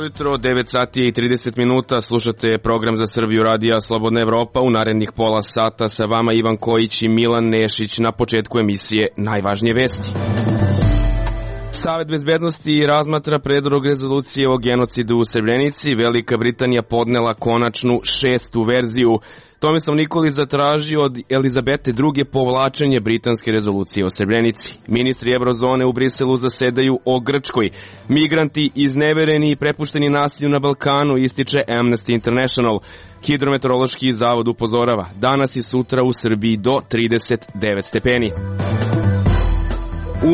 Dobro jutro, 9 sati i 30 minuta, slušate program za Srbiju radija Slobodna Evropa. U narednih pola sata sa vama Ivan Kojić i Milan Nešić. Na početku emisije najvažnije vesti. Savet bezbednosti razmatra predlog rezolucije o genocidu u Srebrenici. Velika Britanija podnela konačnu 6. verziju. Tomislav Nikolić zatražio od Elizabete II. Povlačenje britanske rezolucije o Srebrenici. Ministri Evrozone u Briselu zasedaju o Grčkoj. Migranti iznevereni i prepušteni nasilju na Balkanu, ističe Amnesty International. Hidrometeorološki zavod upozorava, danas i sutra u Srbiji do 39 stepeni.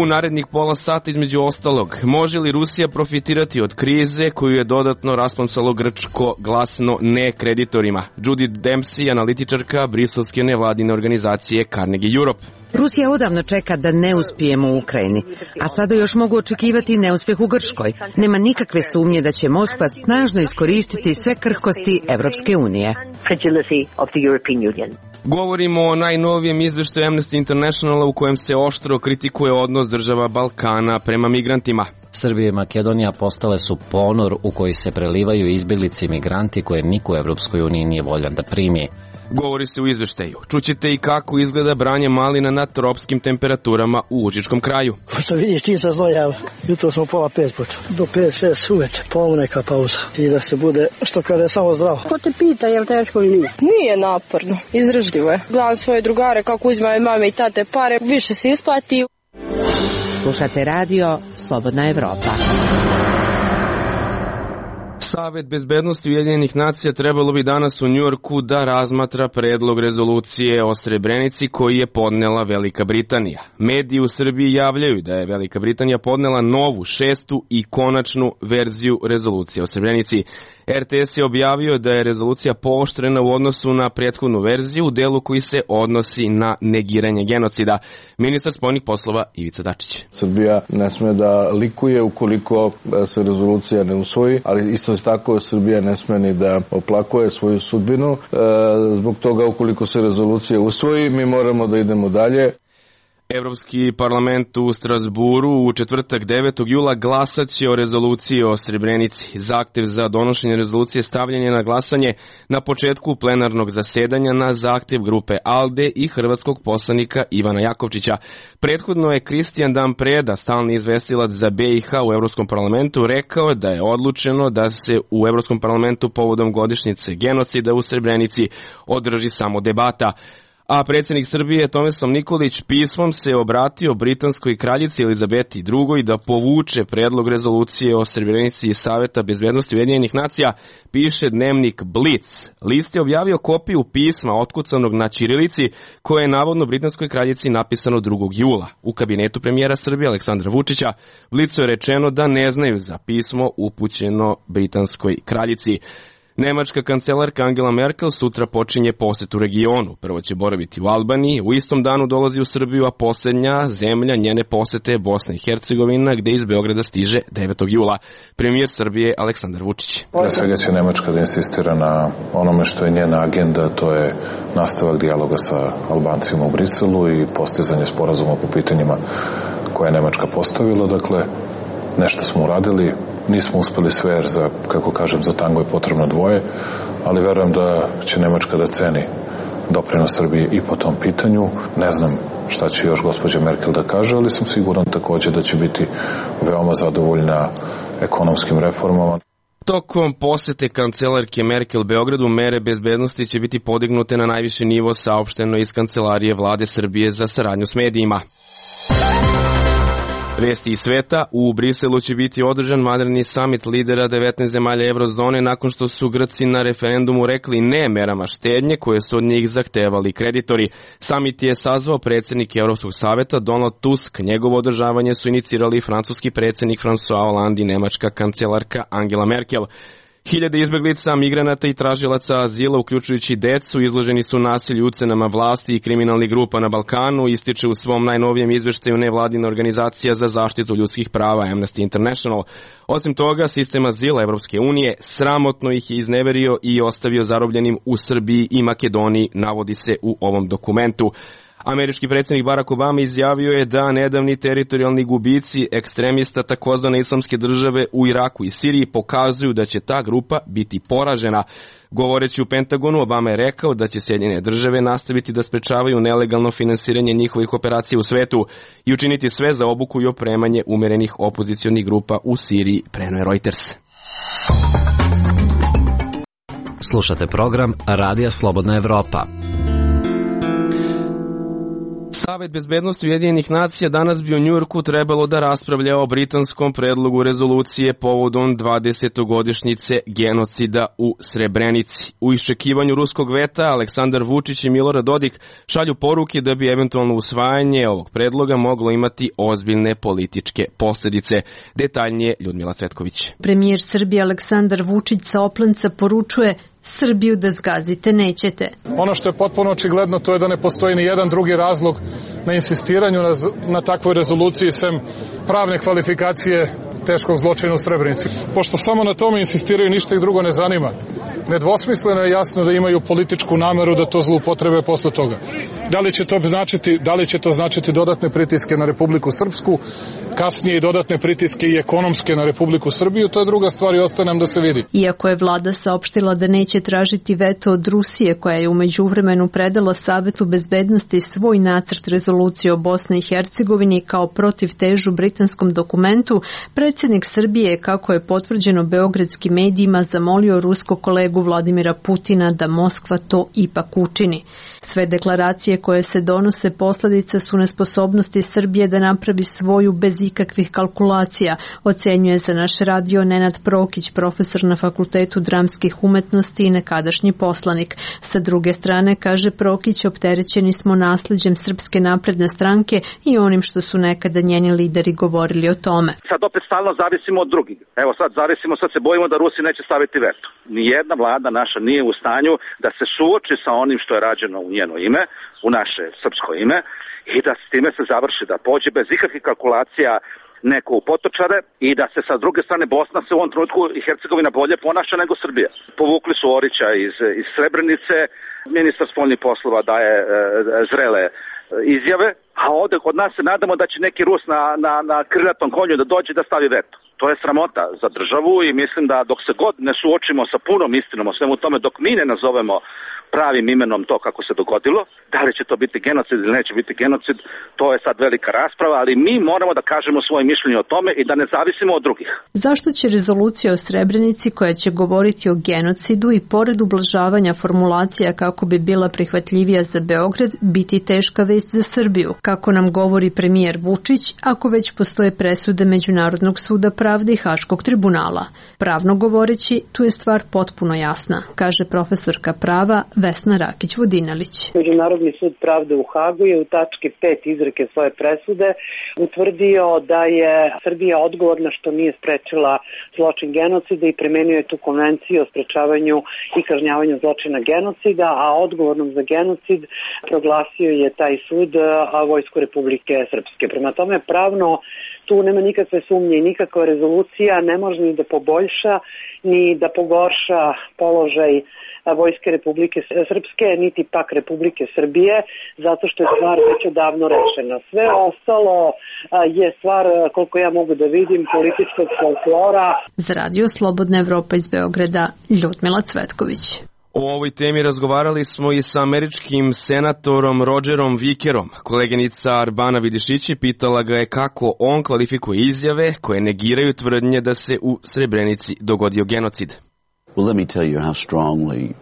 U narednih pola sata, između ostalog, može li Rusija profitirati od krize koju je dodatno rasplamsalo Grčko glasno ne kreditorima? Judy Dempsey, analitičarka briselske nevladine organizacije Carnegie Europe. Rusija odavno čeka da ne uspijemo u Ukrajini, a sada još mogu očekivati neuspjeh u Grčkoj. Nema nikakve sumnje da će Moskva snažno iskoristiti sve krhkosti Evropske unije. Govorimo o najnovijem izveštaju Amnesty Internationala u kojem se oštro kritikuje odnos država Balkana prema migrantima. Srbija i Makedonija postale su ponor u koji se prelivaju izbjeglice i migranti koje niko u Evropskoj uniji nije voljan da primi. Govori se u izveštaju. Čućete i kako izgleda branje malina na tropskim temperaturama u Užičkom kraju. Što vidiš, čim se znoja, jutro smo pola 5 počeli. Do 5-6 uveče, pola neka pauza. I da se bude, što kaže, samo zdravo. Ko te pita, je li teško ili nije? Nije naporno, izdržljivo je. Gledam svoje drugare kako uzimaju mame i tate pare, više se isplati. Slušate radio Slobodna Evropa. Savet bezbednosti Ujedinjenih nacija trebalo bi danas u Njujorku da razmatra predlog rezolucije o Srebrenici koji je podnela Velika Britanija. Mediji u Srbiji javljaju da je Velika Britanija podnela novu 6. i konačnu verziju rezolucije o Srebrenici. RTS je objavio da je rezolucija pooštrena u odnosu na prethodnu verziju u delu koji se odnosi na negiranje genocida. Ministar spoljnih poslova Ivica Dačić. Srbija ne sme da likuje ukoliko se rezolucija ne usvoji, ali isto tako Srbija ne sme ni da oplakuje svoju sudbinu. Zbog toga ukoliko se rezolucija usvoji, mi moramo da idemo dalje. Evropski parlament u Strasburu u četvrtak 9. jula glasat će o rezoluciji o Srebrenici. Zahtev za donošenje rezolucije stavljen je na glasanje na početku plenarnog zasedanja na zahtev grupe ALDE i hrvatskog poslanika Ivana Jakovčića. Prethodno je Kristijan Dan Preda, stalni izvestilac za BiH u Evropskom parlamentu, rekao da je odlučeno da se u Evropskom parlamentu povodom godišnjice genocida u Srebrenici održi samo debata. A predsjednik Srbije Tomislav Nikolić pismom se obratio britanskoj kraljici Elizabeti II. Da povuče predlog rezolucije o Srebrenici iz Saveta bezbednosti Ujedinjenih nacija, piše dnevnik Blitz. List je objavio kopiju pisma otkucanog na ćirilici koje je navodno britanskoj kraljici napisano 2. jula. U kabinetu premijera Srbije Aleksandra Vučića Blicu je rečeno da ne znaju za pismo upućeno britanskoj kraljici. Nemačka kancelarka Angela Merkel sutra počinje posetu regionu. Prvo će boraviti u Albaniji, u istom danu dolazi u Srbiju, a posljednja zemlja njene posete je Bosna i Hercegovina, gde iz Beograda stiže 9. jula. Premijer Srbije Aleksandar Vučić. Pre svega će Nemačka da insistira na onome što je njena agenda, to je nastavak dijaloga sa Albancima u Briselu i postizanje sporazuma po pitanjima koje je Nemačka postavila. Dakle, nešto smo uradili, nismo uspeli sve jer za tango je potrebno dvoje, ali verujem da će Nemačka da ceni doprinos Srbije i po tom pitanju. Ne znam šta će još gospođa Merkel da kaže, ali sam siguran također da će biti veoma zadovoljna ekonomskim reformama. Tokom posete kancelarke Merkel Beogradu mere bezbednosti će biti podignute na najviši nivo, saopšteno iz kancelarije vlade Srbije za saradnju s medijima. Vesti iz sveta, u Briselu će biti održan vanredni samit lidera 19 zemalja Evrozone nakon što su Grci na referendumu rekli ne merama štednje koje su od njih zahtevali kreditori. Samit je sazvao predsjednik Europskog saveta Donald Tusk. Njegovo održavanje su inicirali francuski predsjednik François Hollande i nemačka kancelarka Angela Merkel. Hiljade izbeglica, migranata i tražilaca azila, uključujući decu, izloženi su nasilju, ucenama vlasti i kriminalnih grupa na Balkanu, ističe u svom najnovijem izveštaju nevladina organizacija za zaštitu ljudskih prava Amnesty International. Osim toga, sistem azila Evropske unije sramotno ih je izneverio i ostavio zarobljenim u Srbiji i Makedoniji, navodi se u ovom dokumentu. Američki predsjednik Barack Obama izjavio je da nedavni teritorijalni gubici ekstremista takozvane islamske države u Iraku i Siriji pokazuju da će ta grupa biti poražena. Govoreći u Pentagonu, Obama je rekao da će Sjedinjene države nastaviti da sprečavaju nelegalno finansiranje njihovih operacija u svetu i učiniti sve za obuku i opremanje umerenih opozicionih grupa u Siriji, preneo je Reuters. Slušate program Radija Slobodna Evropa. Savet bezbednosti Ujedinjenih nacija danas bi u Njujorku trebalo da raspravlja o britanskom predlogu rezolucije povodom 20-godišnjice genocida u Srebrenici. U iščekivanju ruskog veta Aleksandar Vučić i Milorad Dodik šalju poruke da bi eventualno usvajanje ovog predloga moglo imati ozbiljne političke posljedice. Detaljnije Ljudmila Cvetković. Premijer Srbije Aleksandar Vučić sa Oplenca poručuje: Srbiju da zgazite nećete. Ono što je potpuno očigledno to je da ne postoji ni jedan drugi razlog na insistiranju na takvoj rezoluciji sem pravne kvalifikacije teškog zločina u Srebrenici. Pošto samo na tome insistiraju, ništa ih drugo ne zanima. Nedvosmisleno je jasno da imaju političku nameru da to zloupotrebe posle toga. Da li će to značiti dodatne pritiske na Republiku Srpsku, kasnije i dodatne pritiske i ekonomske na Republiku Srbiju, to je druga stvar i ostaje nam da se vidi. Iako je vlada saopštila da neće tražiti veto od Rusije, koja je u međuvremenu predala Savetu bezbednosti svoj nacrt rezolucije o Bosni i Hercegovini kao protivtežu britanskom dokumentu, predsjednik Srbije, kako je potvrđeno beogradskim medijima, zamolio ruskog kolegu Vladimira Putina da Moskva to ipak učini. Sve deklaracije koje se donose posljedica su nesposobnosti Srbije da napravi svoju bez ikakvih kalkulacija, ocenjuje za naš radio Nenad Prokić, profesor na Fakultetu dramskih umetnosti i nekadašnji poslanik. Sa druge strane, kaže Prokić, opterećeni smo nasljeđem Srpske napredne stranke i onim što su nekada njeni lideri govorili o tome. Sad opet stalno zavisimo od drugih. Evo sad se bojimo da Rusi neće staviti veto. Nijedna vlada naša nije u stanju da se suoči sa onim što je rađeno u njeno ime, u naše srpsko ime, i da s time se završi, da pođe bez ikakvih kalkulacija neko u potočare i da se sa druge strane Bosna se u ovom trenutku i Hercegovina bolje ponaša nego Srbija. Povukli su Orića iz Srebrenice, ministar spoljnih poslova daje zrele izjave, a ovdje kod nas se nadamo da će neki Rus na krilatom konju da dođe da stavi veto. To je sramota za državu i mislim da dok se god ne suočimo sa punom istinom o svemu tome, dok mi ne nazovemo pravim imenom to kako se dogodilo, da li će to biti genocid ili neće biti genocid, to je sad velika rasprava, ali mi moramo da kažemo svoje mišljenje o tome i da ne zavisimo od drugih. Zašto će rezolucija o Srebrenici, koja će govoriti o genocidu i pored ublažavanja formulacija kako bi bila prihvatljivija za Beograd, biti teška vest za Srbiju, kako nam govori premijer Vučić, ako već postoje presude Međunarodnog suda pravde i Haškog tribunala? Pravno govoreći, tu je stvar potpuno jasna, kaže profesorka prava Vesna Rakić-Vodinelić. Međunarodni sud pravde u Hagu je u tački 5 izreke svoje presude utvrdio da je Srbija odgovorna što nije sprečila zločin genocida i primenio je tu konvenciju o sprečavanju i kažnjavanju zločina genocida, a odgovornom za genocid proglasio je taj sud Vojsku Republike Srpske. Prema tome, pravno tu nema nikakve sumnje i nikakva rezolucija ne može ni da poboljša ni da pogorša položaj Vojske Republike Srpske, niti pak Republike Srbije, zato što je stvar već odavno rešena. Sve ostalo je stvar, koliko ja mogu da vidim, političkog folklora. Za radio Slobodna Evropa iz Beograda, Ljudmila Cvetković. O ovoj temi razgovarali smo i sa američkim senatorom Rogerom Vikerom. Koleginica Arbana Vidišići pitala ga je kako on kvalifikuje izjave koje negiraju tvrdnje da se u Srebrenici dogodio genocid. Well, let me tell you how strongly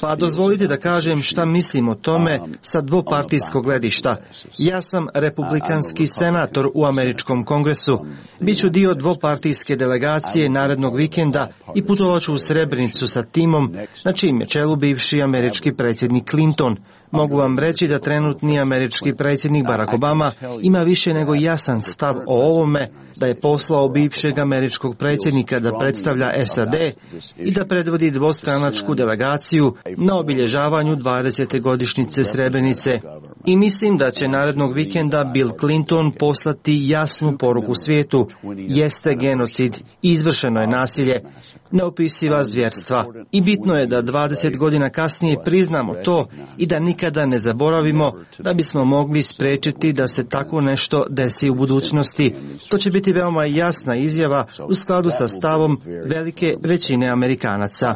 Pa dozvolite da kažem šta mislim o tome sa dvopartijskog gledišta. Ja sam republikanski senator u američkom kongresu. Biću dio dvopartijske delegacije narednog vikenda i putovaću u Srebrenicu sa timom na čijem je čelu bivši američki predsjednik Clinton. Mogu vam reći da trenutni američki predsjednik Barack Obama ima više nego jasan stav o ovome, da je poslao bivšeg američkog predsjednika da predstavlja SAD i da predvodi dvostranačku delegaciju na obilježavanju 20. godišnjice Srebrenice. I mislim da će narednog vikenda Bill Clinton poslati jasnu poruku svijetu. Jeste genocid, izvršeno je nasilje. neopisiva zvjerstva. I bitno je da 20 godina kasnije priznamo to i da nikada ne zaboravimo da bismo mogli spriječiti da se tako nešto desi u budućnosti. To će biti veoma jasna izjava u skladu sa stavom velike većine Amerikanaca.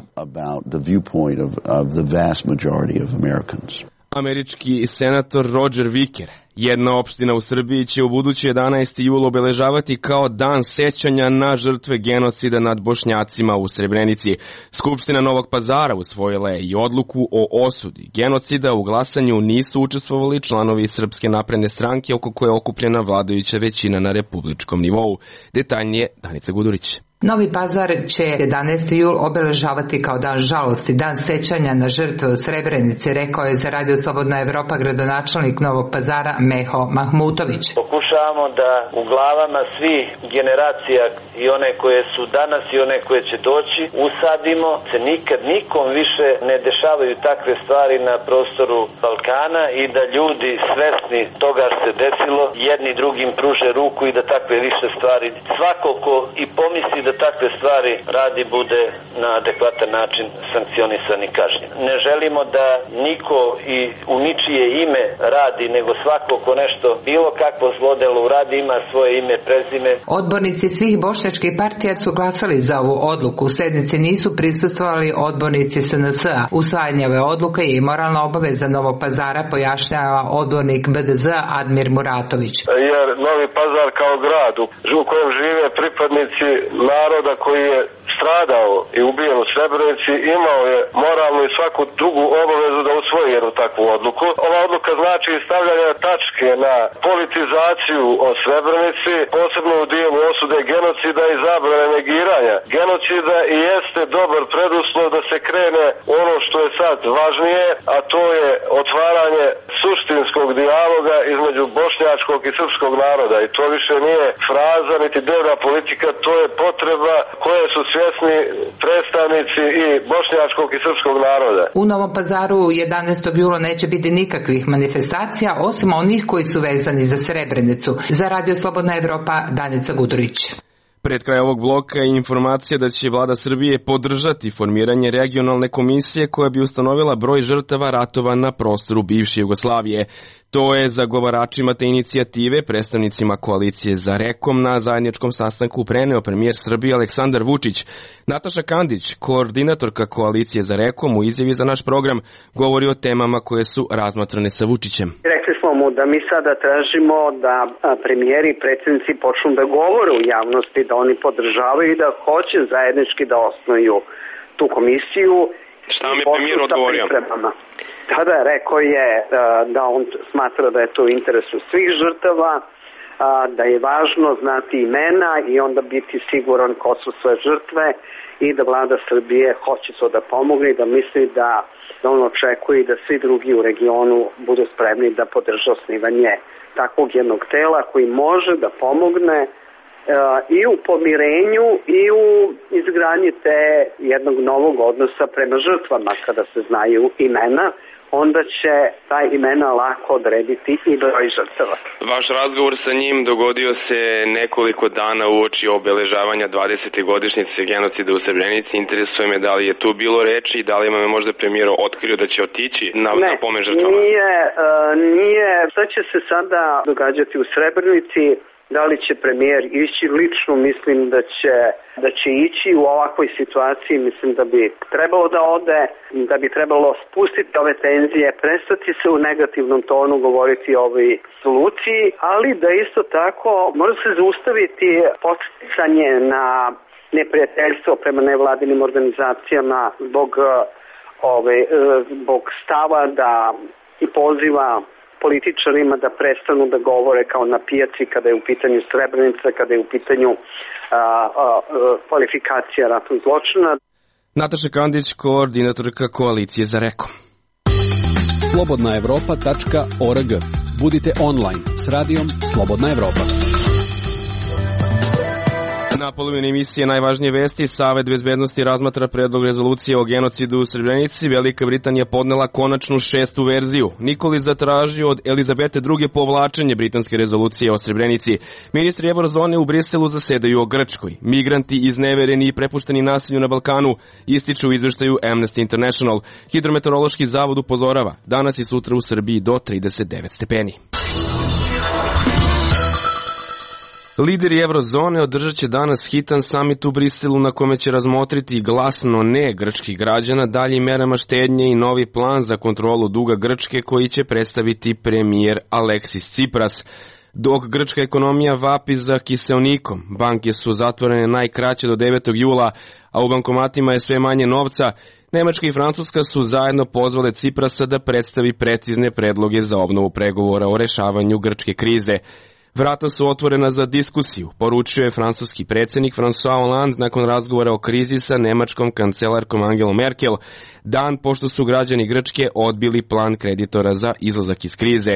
Američki senator Roger Wicker. Jedna opština u Srbiji će u budući 11. jul obeležavati kao dan sećanja na žrtve genocida nad Bošnjacima u Srebrenici. Skupština Novog Pazara usvojila je i odluku o osudi genocida. U glasanju nisu učestvovali članovi Srpske napredne stranke oko koje je okupljena vladajuća većina na republičkom nivou. Detaljnije Danica Gudurić. Novi Pazar će 11. jul obeležavati kao dan žalosti, dan sećanja na žrtve u Srebrenici, rekao je za Radio Slobodna Evropa gradonačelnik Novog Pazara Meho Mahmutović. Pokušavamo da u glavama svih generacija i one koje su danas i one koje će doći usadimo se nikad nikom više ne dešavaju takve stvari na prostoru Balkana i da ljudi svesni toga što se desilo jedni drugim pruže ruku i da takve više stvari svako ko i pomisli da takve stvari radi bude na adekvatan način sankcionisan i kažnjen. Ne želimo da niko i u ničije ime radi, nego svako ko nešto bilo kakvo zlodelo uradi ima svoje ime, prezime. Odbornici svih bošnjačkih partija su glasali za ovu odluku. U sednici nisu prisustvovali odbornici SNS-a. Usvajanje ove odluke je i moralna obaveza Novog Pazara, pojašnjava odbornik BDZ Admir Muratović. Jer Novi Pazar kao grad u kojem žive pripadnici naroda koji je stradao i ubijen u Srebrenici imao je moralnu i svaku drugu obavezu da usvoji jednu takvu odluku. Ova odluka znači stavljanje tačke na politizaciju o Srebrenici, posebno u dijelu osude genocida i zabrane negiranja genocida i jeste dobar preduslov da se krene ono što je sad važnije, a to je otvaranje suštinskog dijaloga između bošnjačkog i srpskog naroda. I to više nije fraza niti dnevna politika, to je potreba koje su svjesni predstavnici i bošnjačkog i srpskog naroda. U Novom Pazaru 11. jula neće biti nikakvih manifestacija osim onih koji su vezani za Srebrenicu. Za Radio Slobodna Evropa Danica Gudurić. Pred kraj ovog bloka je informacija da će vlada Srbije podržati formiranje regionalne komisije koja bi ustanovila broj žrtava ratova na prostoru bivše Jugoslavije. To je zagovaračima te inicijative, predstavnicima koalicije za Rekom na zajedničkom sastanku preneo premijer Srbije Aleksandar Vučić. Nataša Kandić, koordinatorka koalicije za Rekom, u izjavi za naš program govori o temama koje su razmatrane sa Vučićem. Rekli smo mu da mi sada tražimo da premijeri i predsjednici počnu da govore u javnosti, da oni podržavaju i da hoće zajednički da osnuju tu komisiju. Šta mi premijer odgovorio? Tada rekao je da on smatra da je to u interesu svih žrtava, da je važno znati imena i onda biti siguran ko su sve žrtve i da vlada Srbije hoće to da pomogne i da misli da on očekuje da svi drugi u regionu budu spremni da podrže osnivanje takvog jednog tela koji može da pomogne i u pomirenju i u izgradnji te jednog novog odnosa prema žrtvama. Kada se znaju imena, onda će ta imena lako odrediti i broj žrtava. Vaš razgovor sa njim dogodio se nekoliko dana uoči obeležavanja 20. godišnjice genocida u Srebrenici. Interesuje me da li je tu bilo reči i da li vam je možda premijer otkrio da će otići na pomen žrtvama? Nije. Šta će se sada događati u Srebrenici? Da li će premijer ići lično, mislim da će ići u ovakvoj situaciji, mislim da bi trebalo da ode, da bi trebalo spustiti ove tenzije, prestati se u negativnom tonu govoriti o ovoj soluciji, ali da isto tako mora se zaustaviti podsticanje na neprijateljstvo prema nevladinim organizacijama zbog stava da i poziva političarima da prestanu da govore kao na pijaci kada je u pitanju Srebrenica, kada je u pitanju kvalifikacija ratnog zločina. Nataša Kandić, koordinatorka koalicije za Rekom. slobodnaevropa.org. Budite online s radijom Slobodna Evropa. Na polovini emisije najvažnije vesti, Savet bezbednosti razmatra predlog rezolucije o genocidu u Srebrenici. Velika Britanija podnela konačnu 6. verziju. Nikolić zatražio od Elizabete II. Povlačenje britanske rezolucije o Srebrenici. Ministri Eurozone u Briselu zasedaju o Grčkoj. Migranti iznevereni i prepušteni nasilju na Balkanu ističu u izveštaju Amnesty International. Hidrometeorološki zavod upozorava danas i sutra u Srbiji do 39 stepeni. Lideri Eurozone održat će danas hitan samit u Briselu na kome će razmotriti glasno ne grčkih građana, daljim merama štednje i novi plan za kontrolu duga Grčke koji će predstaviti premijer Aleksis Tsipras. Dok grčka ekonomija vapi za kiseonikom, banke su zatvorene najkraće do 9. jula, a u bankomatima je sve manje novca, Nemačka i Francuska su zajedno pozvale Tsiprasa da predstavi precizne predloge za obnovu pregovora o rešavanju grčke krize. Vrata su otvorena za diskusiju, poručio je francuski predsjednik François Hollande nakon razgovora o krizi sa nemačkom kancelarkom Angelom Merkel, dan pošto su građani Grčke odbili plan kreditora za izlazak iz krize.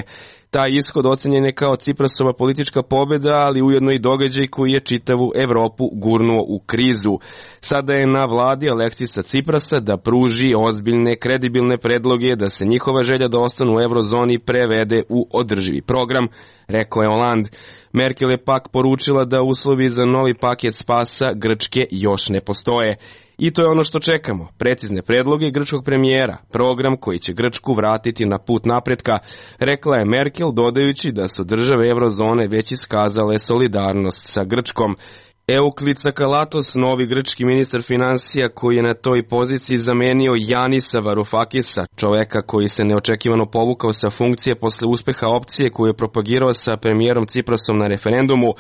Taj ishod ocenjen je kao Tsiprasova politička pobjeda, ali ujedno i događaj koji je čitavu Evropu gurnuo u krizu. Sada je na vladi Aleksisa Tsiprasa da pruži ozbiljne, kredibilne predloge da se njihova želja da ostanu u eurozoni prevede u održivi program, rekao je Hollande. Merkel je pak poručila da uslovi za novi paket spasa Grčke još ne postoje. I to je ono što čekamo, precizne predloge grčkog premijera, program koji će Grčku vratiti na put napretka, rekla je Merkel, dodajući da su države eurozone već iskazale solidarnost sa Grčkom. Euklid Sakalatos, novi grčki ministar finansija koji je na toj poziciji zamenio Janisa Varoufakisa, čoveka koji se neočekivano povukao sa funkcije posle uspeha opcije koju je propagirao sa premijerom Tsiprasom na referendumu,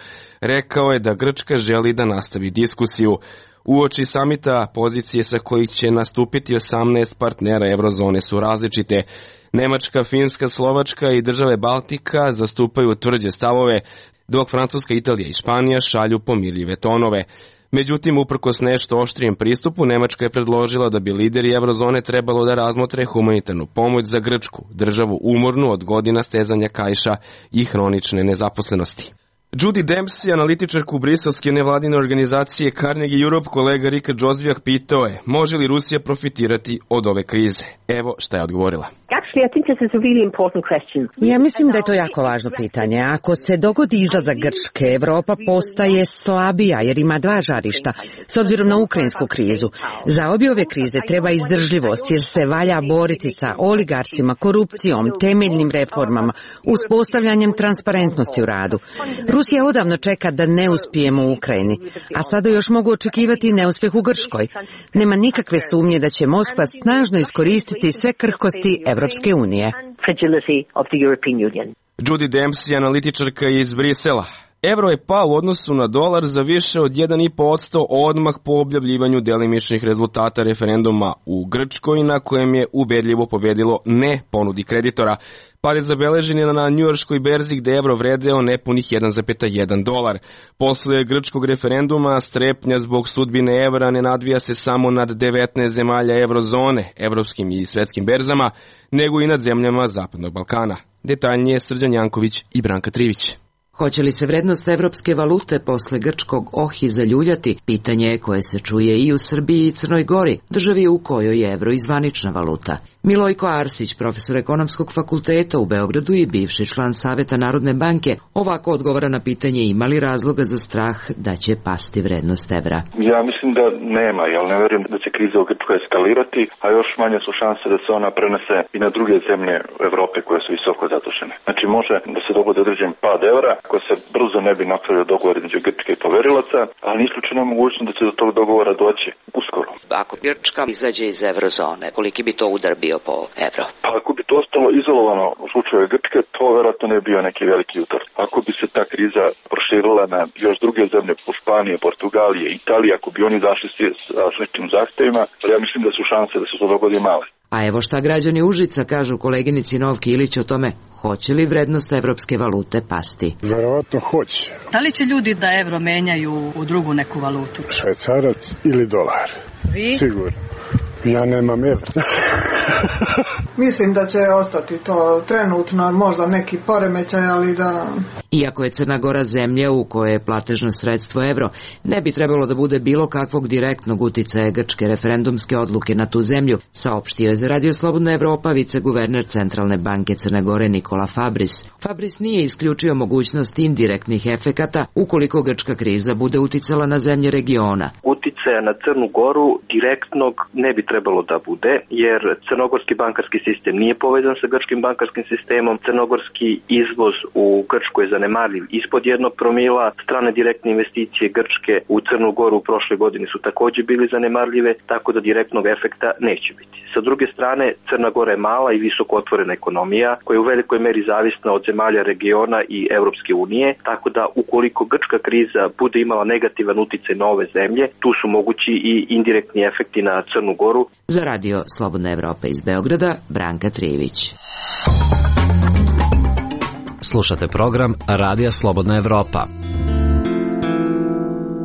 rekao je da Grčka želi da nastavi diskusiju. Uoči samita pozicije sa kojih će nastupiti 18 partnera eurozone su različite. Nemačka, Finska, Slovačka i države Baltika zastupaju tvrđe stavove, dok Francuska, Italija i Španija šalju pomirljive tonove. Međutim, uprkos nešto oštrijem pristupu, Nemačka je predložila da bi lideri eurozone trebalo da razmotre humanitarnu pomoć za Grčku, državu umornu od godina stezanja kaiša i hronične nezaposlenosti. Judy Dempsey, analitičarku briselske nevladine organizacije Carnegie Europe, kolega Rika Džozvijak pitao je može li Rusija profitirati od ove krize. Evo šta je odgovorila. Ja mislim da je to jako važno pitanje. Ako se dogodi izlazak Grčke, Evropa postaje slabija jer ima dva žarišta, s obzirom na ukrajinsku krizu. Za obje ove krize treba izdržljivost jer se valja boriti sa oligarsima, korupcijom, temeljnim reformama, uspostavljanjem transparentnosti u radu. Rusija odavno čeka da ne uspijemo u Ukrajini, a sada još mogu očekivati neuspjeh u Grčkoj. Nema nikakve sumnje da će Moskva snažno iskoristiti sve krhkosti Evropske unije. Judy Dempsey, analitičarka iz Brisela. Evro je pao u odnosu na dolar za više od 1,5% odmah po objavljivanju delimičnih rezultata referenduma u Grčkoj, na kojem je ubedljivo pobedilo ne ponudi kreditora. Pad je zabeležen na njujorškoj berzi gde evro vredeo nepunih 1,1 dolar. Posle grčkog referenduma strepnja zbog sudbine evra ne nadvija se samo nad 19 zemalja eurozone, evropskim i svetskim berzama, nego i nad zemljama Zapadnog Balkana. Detaljnije Srđan Janković i Branka Trivić. Hoće li se vrednost evropske valute posle grčkog ohi zaljuljati? Pitanje je koje se čuje i u Srbiji i Crnoj Gori, državi u kojoj je evro i zvanična valuta. Milojko Arsić, profesor ekonomskog fakulteta u Beogradu i bivši član Saveta Narodne banke, ovako odgovara na pitanje ima li razloga za strah da će pasti vrednost evra. Ja mislim da nema, jer ne verujem da će kriza u Grčkoj eskalirati, a još manje su šanse da se ona prenese i na druge zemlje Evrope koje su visoko zadužene. Znači može da se dogodi određen pad evra, ako se brzo ne bi napravio dogovor između Grčke i poverilaca, ali nije isključena mogućnost da će do tog dogovora doći uskoro. Ako Grčka izađe iz eurozone, koliki bi to udar bio po evro? Pa ako bi to ostalo izolovano u slučaju Grčke, to vjerojatno ne bi bio neki veliki udar. Ako bi se ta kriza proširila na još druge zemlje, po Španije, Portugalije, Italije, ako bi oni zašli sa sličnim zahtevima, ja mislim da su šanse da se to dogodi male. A evo šta građani Užica kažu koleginici Novki Ilić o tome, hoće li vrednost evropske valute pasti? Verovatno hoće. Da li će ljudi da evro menjaju u drugu neku valutu? Švajcarac ili dolar? Vi? Sigurno. Ja nemam evra. Mislim da će ostati to trenutno, možda neki poremećaj, ali da... Iako je Crna Gora zemlja u kojoj je platežno sredstvo evro, ne bi trebalo da bude bilo kakvog direktnog uticaja grčke referendumske odluke na tu zemlju, saopštio je za Radio Slobodna Evropa viceguverner Centralne banke Crne Gore Nikola Fabris. Fabris nije isključio mogućnost indirektnih efekata ukoliko grčka kriza bude uticala na zemlje regiona. Uticaja na Crnu Goru direktnog ne bi trebalo da bude, jer crnogorski bankarski sistem nije povezan sa grčkim bankarskim sistemom. Crnogorski izvoz u Grčku je zanemarljiv ispod 1 promila. Strane direktne investicije Grčke u Crnu Goru u prošle godine su takođe bili zanemarljive, tako da direktnog efekta neće biti. Sa druge strane, Crna Gora je mala i visoko otvorena ekonomija koja je u velikoj meri zavisna od zemalja regiona i Evropske unije, tako da ukoliko grčka kriza bude imala negativan uticaj na ove zemlje, tu su mogući i indirektni efekti na Crnu Goru. Za Radio Slobodna Evropa iz Beograda, Branka Trijević. Slušate program Radija Slobodna Evropa.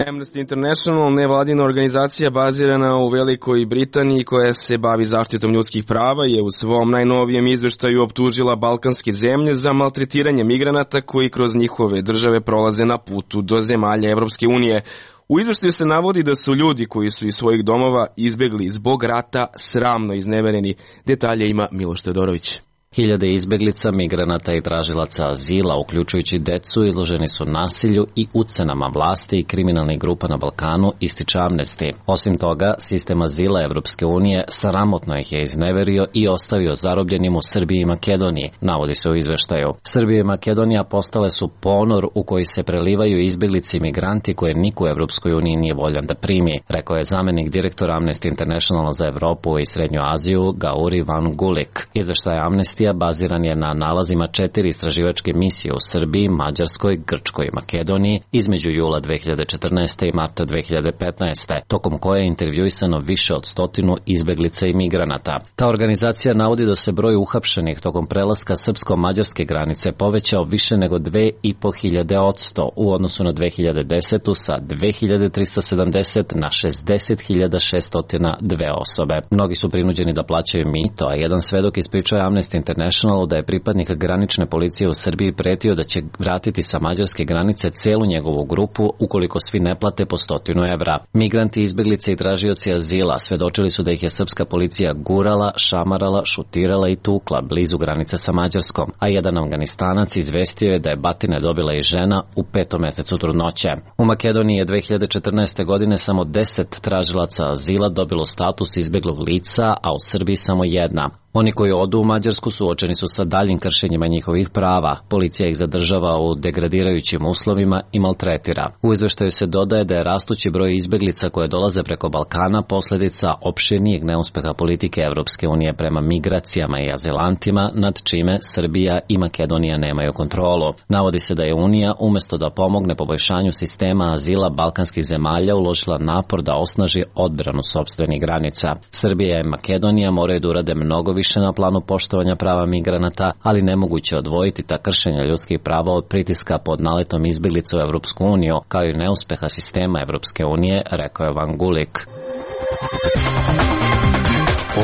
Amnesty International, nevladina organizacija bazirana u Velikoj Britaniji koja se bavi zaštitom ljudskih prava, je u svom najnovijem izveštaju optužila balkanske zemlje za maltretiranje migranata koji kroz njihove države prolaze na putu do zemalja Evropske unije. U izveštaju se navodi da su ljudi koji su iz svojih domova izbegli zbog rata sramno iznevereni. Detalje ima Miloš Todorović. Hiljade izbeglica, migranata i tražilaca azila, uključujući decu, izloženi su nasilju i ucenama vlasti i kriminalnih grupa na Balkanu, ističe Amnesty. Osim toga, sistem azila Evropske unije sramotno ih je izneverio i ostavio zarobljenim u Srbiji i Makedoniji, navodi se u izveštaju. Srbija i Makedonija postale su ponor u koji se prelivaju izbeglici i migranti koje niko u Evropskoj uniji nije voljan da primi, rekao je zamenik direktora Amnesty International za Evropu i Srednju Aziju Gauri Van Gulik. Izveštaj Amnesty baziran je na nalazima 4 istraživačke misije u Srbiji, Mađarskoj, Grčkoj i Makedoniji između jula 2014. i marta 2015. tokom koje je intervjuisano više od 100 izbeglica i migranata. Ta organizacija navodi da se broj uhapšenih tokom prelaska srpsko-mađarske granice povećao više nego 2500% u odnosu na 2010. sa 2370 na 60.602 osobe. Mnogi su prinuđeni da plaćaju mito, a jedan svedok ispričao je Amnesty International da je pripadnik granične policije u Srbiji pretio da će vratiti sa mađarske granice celu njegovu grupu ukoliko svi ne plate po 100 evra. Migranti, izbeglice i tražioci azila svedočili su da ih je srpska policija gurala, šamarala, šutirala i tukla blizu granice sa Mađarskom, a jedan Afganistanac izvestio je da je batine dobila i žena u 5. mesecu trudnoće. U Makedoniji je 2014. godine samo 10 tražilaca azila dobilo status izbeglog lica, a u Srbiji samo 1. Oni koji odu u Mađarsku suočeni su sa daljim kršenjima njihovih prava. Policija ih zadržava u degradirajućim uslovima i maltretira. U izveštaju se dodaje da je rastući broj izbeglica koje dolaze preko Balkana posljedica opširnijeg neuspeha politike Evropske unije prema migracijama i azilantima, nad čime Srbija i Makedonija nemaju kontrolu. Navodi se da je Unija, umjesto da pomogne poboljšanju sistema azila balkanskih zemalja, uložila napor da osnaži odbranu sopstvenih granica. Srbija i Makedonija moraju da urade mnogo više na planu poštovanja prava migranata, ali nemoguće odvojiti ta kršenja ljudskih prava od pritiska pod naletom izbeglica u Evropsku uniju, kao i neuspeha sistema Evropske unije, rekao je Van Gulik.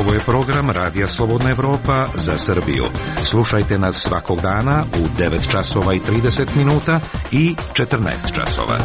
Ovo je program Radija Slobodna Evropa za Srbiju. Slušajte nas svakog dana u 9 časova i 30 minuta i 14 časova.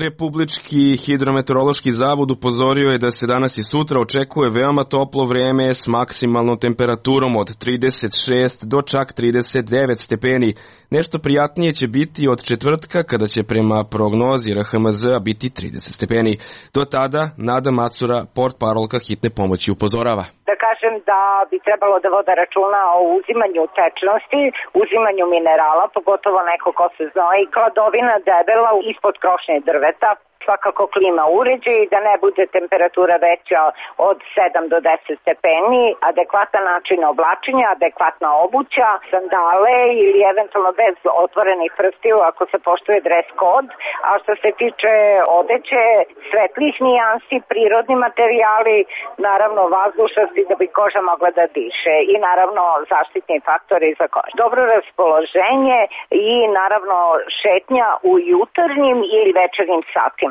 Republički hidrometeorološki zavod upozorio je da se danas i sutra očekuje veoma toplo vreme s maksimalnom temperaturom od 36 do čak 39 stepeni. Nešto prijatnije će biti od četvrtka kada će prema prognozi RHMZ biti 30 stepeni. Do tada Nada Macura, portparolka hitne pomoći, upozorava. Da kažem da bi trebalo da vode računa o uzimanju tečnosti, uzimanju minerala, pogotovo neko ko se znoji, hladovina debela ispod krošnje drveta, svakako klima uređaj, da ne bude temperatura veća od 7 do 10 stepeni, adekvatan način oblačenja, adekvatna obuća, sandale ili eventualno bez otvorenih prstiju ako se poštuje dres kod, a što se tiče odeće, svetlih nijansi, prirodni materijali, naravno vazdušnosti da bi koža mogla da diše i naravno zaštitni faktori za kožu. Dobro raspoloženje i naravno šetnja u jutarnjim ili večernjim satima.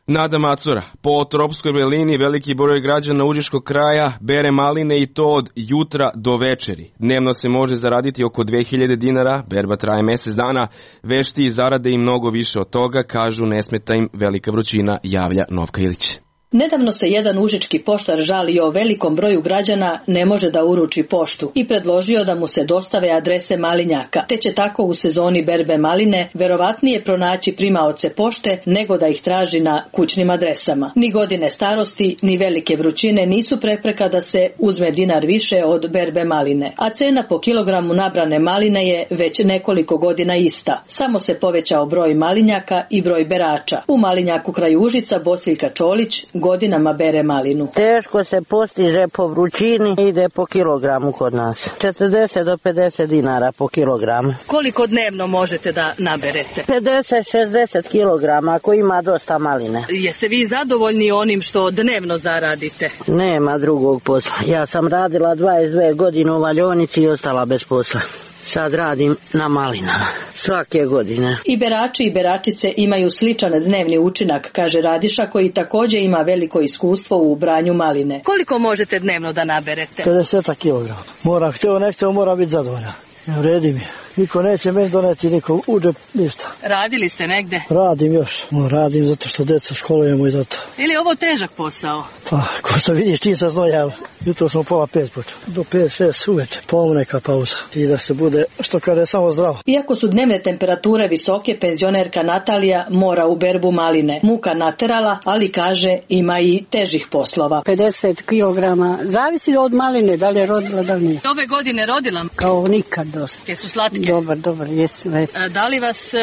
Nada Macura, po tropskoj belini veliki broj građana užičkog kraja bere maline i to od jutra do večeri. Dnevno se može zaraditi oko 2000 dinara, berba traje mesec dana, vešti i zarade i mnogo više od toga, kažu ne smeta im velika vrućina, javlja Novka Ilić. Nedavno se jedan užički poštar žalio velikom broju građana ne može da uruči poštu i predložio da mu se dostave adrese malinjaka, te će tako u sezoni berbe maline verovatnije pronaći primaoce pošte nego da ih traži na kućnim adresama. Ni godine starosti, ni velike vrućine nisu prepreka da se uzme dinar više od berbe maline, a cena po kilogramu nabrane maline je već nekoliko godina ista. Samo se povećao broj malinjaka i broj berača. U malinjaku kraj Užica Bosiljka Čolić godinama bere malinu. Teško se postiže po vrućini, ide po kilogramu kod nas. 40 do 50 dinara po kilogramu. Koliko dnevno možete da naberete? 50-60 kilograma ako ima dosta maline. Jeste vi zadovoljni onim što dnevno zaradite? Nema drugog posla. Ja sam radila 22 godine u valjionici i ostala bez posla. Sad radim na malinama, svake godine. I berači i beračice imaju sličan dnevni učinak, kaže Radiša, koji također ima veliko iskustvo u branju maline. Koliko možete dnevno da naberete? 50 kilograma. Moram, htio nešto, mora biti zadovoljna. Ne vredi mi. Niko neće meni doneti, niko uđe, ništa. Radili ste negde? Radim još. Radim zato što deca školujemo i zato. Ili je ovo težak posao? Pa, ko što vidiš, čim sam znojao. Jutro smo pola 5 počeo. Do 5-6 uveče. Pa neka pauza. I da se bude, što kaže, samo zdravo. Iako su dnevne temperature visoke, penzionerka Natalija mora u berbu maline. Muka naterala, ali kaže ima i težih poslova. 50 kilograma. Zavisi od maline, da li je rodila, da li nije. Ove godine rodila? Kao nikad dosta. Jesu slatke? Dobar, jesu. Da li vas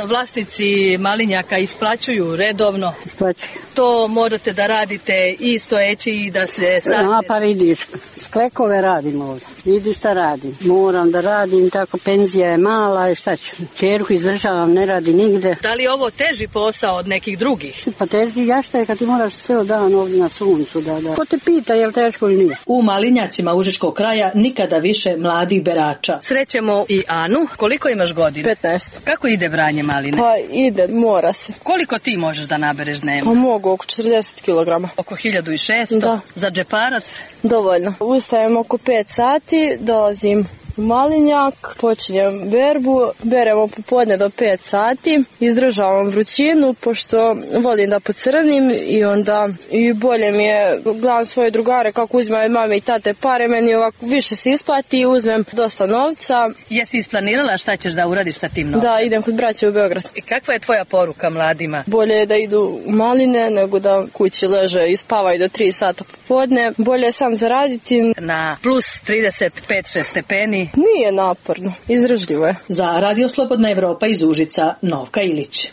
vlasnici malinjaka isplaćuju redovno? Isplaćuju. To morate da radite i stojeći i da se sadite. Pa vidiš, sklekove radim ovdje. Vidiš šta radim. Moram da radim, tako penzija je mala i šta ću. Čerku izdržavam, ne radi nigde. Da li je ovo teži posao od nekih drugih? Pa teži jašta je kad ti moraš sve dan ovdje na suncu. Da. Ko te pita je li teško ili nije? U malinjacima Užičkog kraja nikada više mladih berača. Srećemo i Anu. Koliko imaš godina? 15. Kako ide branje maline? Pa ide, mora se. Koliko ti možeš da nabereš dnevno? Pa mogu, oko 40 kilograma. Oko 1600? Da. Za džeparac? Dovoljno. Ustajem oko 5 sati, dolazim u malinjak, počinjem berbu, beremo popodne do 5 sati, izdržavam vrućinu, pošto volim da pocrnim i onda i bolje mi je, gledam svoje drugare kako uzimaju mame i tate pare, meni ovako više se isplati i uzmem dosta novca. Jesi isplanirala šta ćeš da uradiš sa tim novcem? Da, idem kod braće u Beograd. I kakva je tvoja poruka mladima? Bolje je da idu u maline nego da kući leže i spavaju do 3 sata popodne. Bolje je sam zaraditi. Na plus 35-6 stepeni. Nije naporno, izdržljivo je. Za Radio Slobodna Evropa iz Užica, Novka Ilić.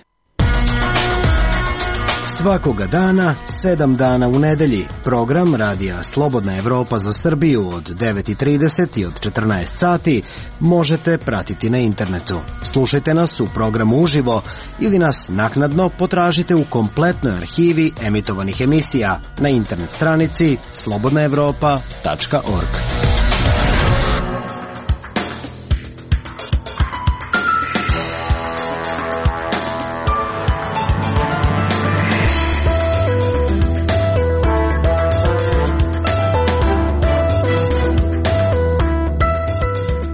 Svakoga dana, 7 dana u nedelji. Program Radija Slobodna Evropa za Srbiju od 9:30 i od 14 sati možete pratiti na internetu. Slušajte nas u programu uživo ili nas naknadno potražite u kompletnoj arhivi emitovanih emisija na internet stranici slobodnaevropa.org.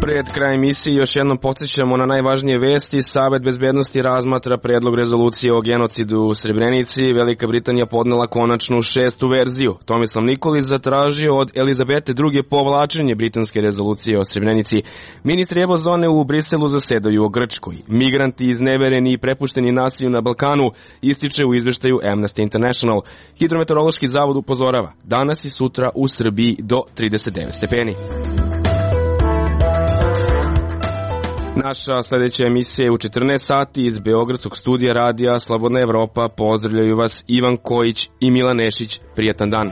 Pred kraj emisije još jednom podsjećamo na najvažnije vesti. Savet bezbednosti razmatra predlog rezolucije o genocidu u Srebrenici. Velika Britanija podnela konačnu 6. verziju. Tomislav Nikolić zatražio od Elizabete II. Povlačenje britanske rezolucije o Srebrenici. Ministri Evozone u Briselu zasedaju o Grčkoj. Migranti iznevereni i prepušteni nasilju na Balkanu ističe u izveštaju Amnesty International. Hidrometeorološki zavod upozorava danas i sutra u Srbiji do 39 stepeni. Naša sljedeća emisija je u 14 sati iz Beogradskog studija Radija Slobodna Evropa. Pozdravljaju vas Ivan Kojić i Milan Nešić. Prijetan dan.